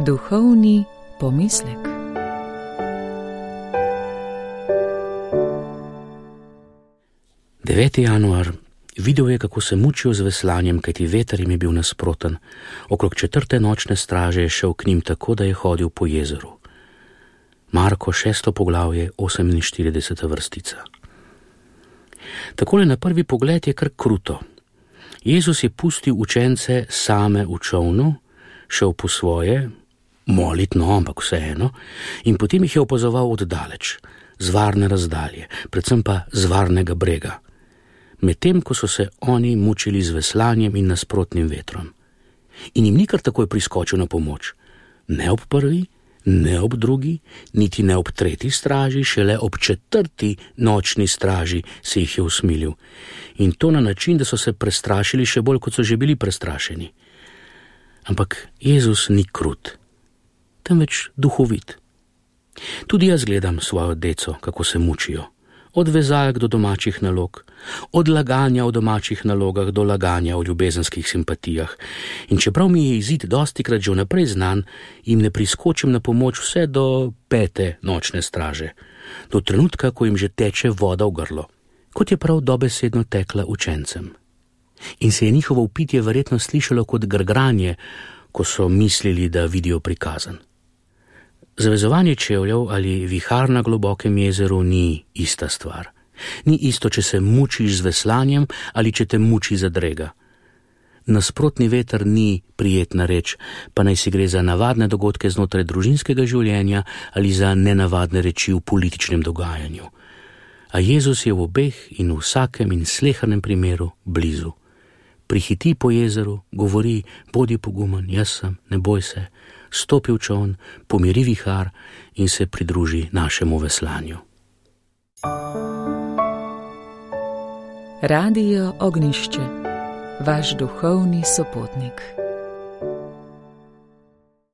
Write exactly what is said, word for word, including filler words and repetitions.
Duhovni pomislek. deveti januar. Videl je, kako se mučijo z veslanjem, kajti veter jim je bil nasproten. Okrog četrte nočne straže je šel k njim tako, da je hodil po jezeru. Marko šesto poglavje, oseminštirideseta vrstica. Takole na prvi pogled je kar kruto. Jezus je pustil učence same v čolnu, šel po svoje, molitno, ampak vseeno, in potem jih je opazoval oddaleč, z varne razdalje, predvsem pa z varnega brega, medtem ko so se oni mučili z veslanjem in nasprotnim vetrom. In jim ni kar takoj priskočil na pomoč. Ne ob prvi, ne ob drugi, niti ne ob tretji straži, šele ob četrti nočni straži se jih je usmilil. In to na način, da so se prestrašili še bolj, kot so že bili prestrašeni. Ampak Jezus ni krut, temveč duhovit. Tudi jaz gledam svojo deco, kako se mučijo. Od vezalk do domačih nalog, od laganja o domačih nalogah do laganja o ljubezenskih simpatijah. In čeprav mi je izid dostikrat že vnaprej znan, jim ne priskočim na pomoč vse do pete nočne straže, do trenutka, ko jim že teče voda v grlo, kot je prav dobesedno tekla učencem. In se je njihovo vpitje verjetno slišalo kot grgranje, ko so mislili, da vidijo prikazan. Zavezovanje čevljev ali vihar na globokem jezeru ni ista stvar. Ni isto, če se mučiš z veslanjem ali če te muči zadrega. Nasprotni veter ni prijetna reč, pa naj si gre za navadne dogodke znotraj družinskega življenja ali za nenavadne reči v političnem dogajanju. A Jezus je v obeh in v vsakem in slehernem primeru blizu. Prihiti po jezeru, govori, bodi pogumen, jaz sem, ne boj se, stopi v čoln, pomiri vihar in se pridruži našemu veslanju. Radio Ognjišče, vaš duhovni sopotnik.